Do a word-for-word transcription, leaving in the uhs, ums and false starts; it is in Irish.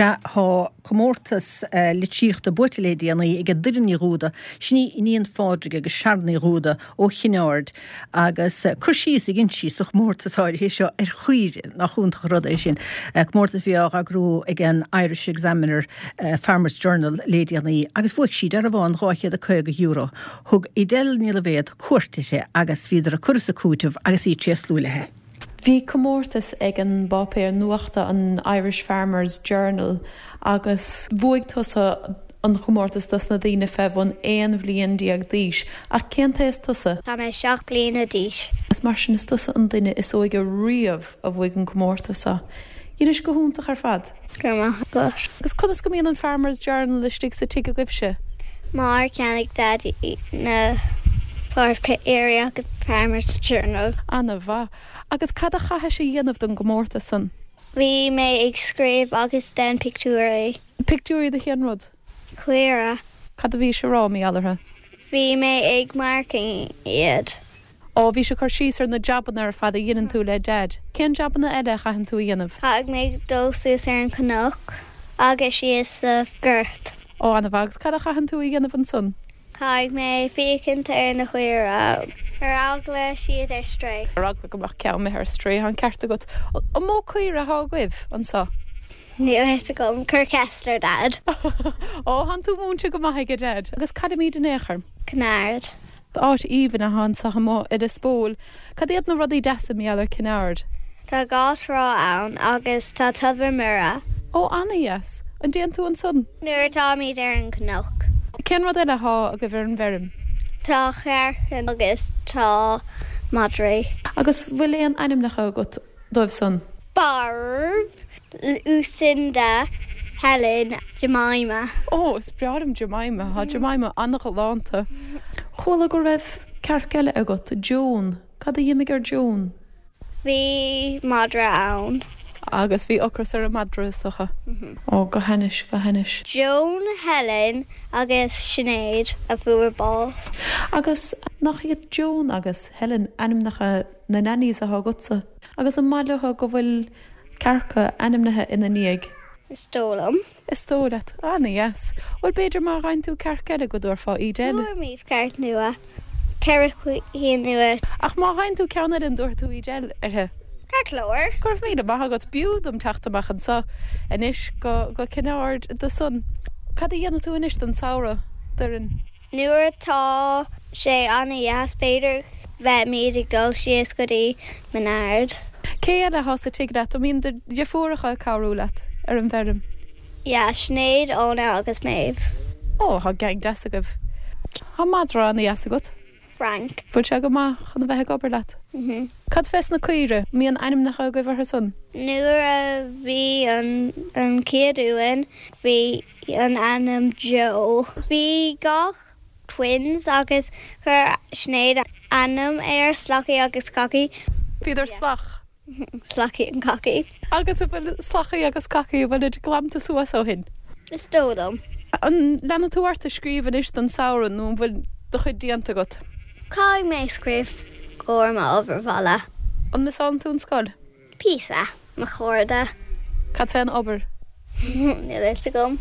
Sea tá comórtas uh, litríochta buaite le déanaí ag Doireann Ní Dhúda, sin í iníon Phádraig agus Sharon Ní Dhúda ó Chinn Aird agus uh, cur síos a dhein sí sa chomórtas áirithe seo ar chaoire nach iontach rud é sin. Uh, comórtas bhí á eagrú ag an Irish Examiner uh, Farmers Journal le déanaí agus bhuaigh sí dearbhán dhá chéad is caoga euro. Thug Edel Ní Loibhéad cuairt uirthi agus bhíodar ag cur is ag cúiteamh agus í tréaslú léi. Bhí comórtas ag an bpáipéar nuachta an Irish Farmers Journal agus bhuaigh tusa an chomórtas dos na daoine fé bhun aon bhliain déag d'aois ach cén t-aois tusa. Tá mé seacht bliana d'aois. Is mar sin is tusa an duine is óige riamh a bhuaigh an comórtas seo. Inis go hiontach ar fad. Go maith go. Agus conas go mbíonn an Farmers Journal istigh sa tigh agaibhse. Mar cheannaigh Daddy na páipéirí agus Farmers Journal. An-mhaith. Agus cad a chaithis a dhéanamh don gcomórtas san. Bhí mé ag scríobh agus den pictiúirí. Pictiúirí de cén rud. Caoire. Cad a bhí sé rá mí allartha. Bhí mé ag marking iad. Ó bhí sé cur síos ar na jabanna ar fad a dhéanann tú le Dad. Cén jabanna eile a chaitheann tú a dhéanamh? Caithfidh mé dul suas ar an cnoc agus síos sa gort. Ó an-mhaith agus cad a chaitheann tú a dhéanamh ansan? Caithfidh mé féachaint ar na caoire ar eagla siad ar strae. Ar eagla go mbeadh ceann ar strae an ceart agat an mó caoire atá agaibh anseo. Níl fhios agam cuir ceist ar Dad. Ó tá tú múinte go maith ag Dad agus cad imid in échar. Cinn Aird. Áit aoibhinn atá anseo amuigh i Lios Póil, Cad iad na rudaí deasa mar gheall ar Cinn Aird. Tá dhá thrá ann agus tá Tobar Muire. Ó an-deas, an dtéann tú ansan? Nuair atáimid ar an cnoc. Cén rud eile atá agaibh ar an bhfeirm? Tá cearca agus tá madraí. Agus bhfuil aon ainmneacha agat dóibh san? Barb, Lucinda, Helen, Jemima. Ó is breá liom Jemima, Tá Jemima an-ghalánta. Chuala go raibh cearc eile agat, Joan, Cad a d'imigh ar Joan? Bhí madra ann. Agus bhí ocras ar an madra is dócha. Ó go hainnis go hainnis. Joan, Helen agus Sinéad a fuair bás. Agus nach iad Joan agus Helen ainmneacha na nannies atá agatsa, agus an maith leo go bhfuil cearca ainmnithe ina ndiaidh. Is dóigh liom. Is dóigh leat an-deas. Bhuel b'fhéidir má fhaigheann tú cearc eile go dtabharfá iad eile. Fuair cearc nua. Ceithre cinn nua. Ach má fhaigheann tú ceann eile an dtabharfaidh tú Edel uirthi. Ceart go leor. Go raibh míle maith agat b'fhiú dom teacht amach anseo anois go go Cinn Aird do son. Cad a dhéanfaidh tú anois don samhradh Doireann? Nuair atá sé an-deas b'fhéidir bheimid ag dul síos go dtí Minard. Cé eile atá sa tigh leat, an mbíonn do dheirfiúracha ag cabhrú leat ar an bhfeirm? Ja, Sinéad, Óna agus Maeve. Ó tá gang deas agaibh. Tá madra an-deas agat. Frank. Bhfuil sé go maith chun a bheith ag obair leat. Mm -hmm. Cad fés na caoire, mbíonn ainmneacha agaibh orthu san? Nuair a bhí an an chéad uain bhí an ainm Joe. Bhí gach twins agus chuir Sinéad ainm ar Slacaí agus Cacaí. Bhíodar salach. Slacaí and Cacaí. Agus a bhfuil slachaí agus cacaí bhfuil glanta suas ó shin. Is dóigh liom. An leanfaidh tú ort ag scríobh anois don samhradh nó an bhfuil do chuid déanta agat? Caithfidh mé scríobh go mo obair bhaile. An miseálann tú an scoil? Píosa mo chairde. Cad fén obair? Níl fhios agam.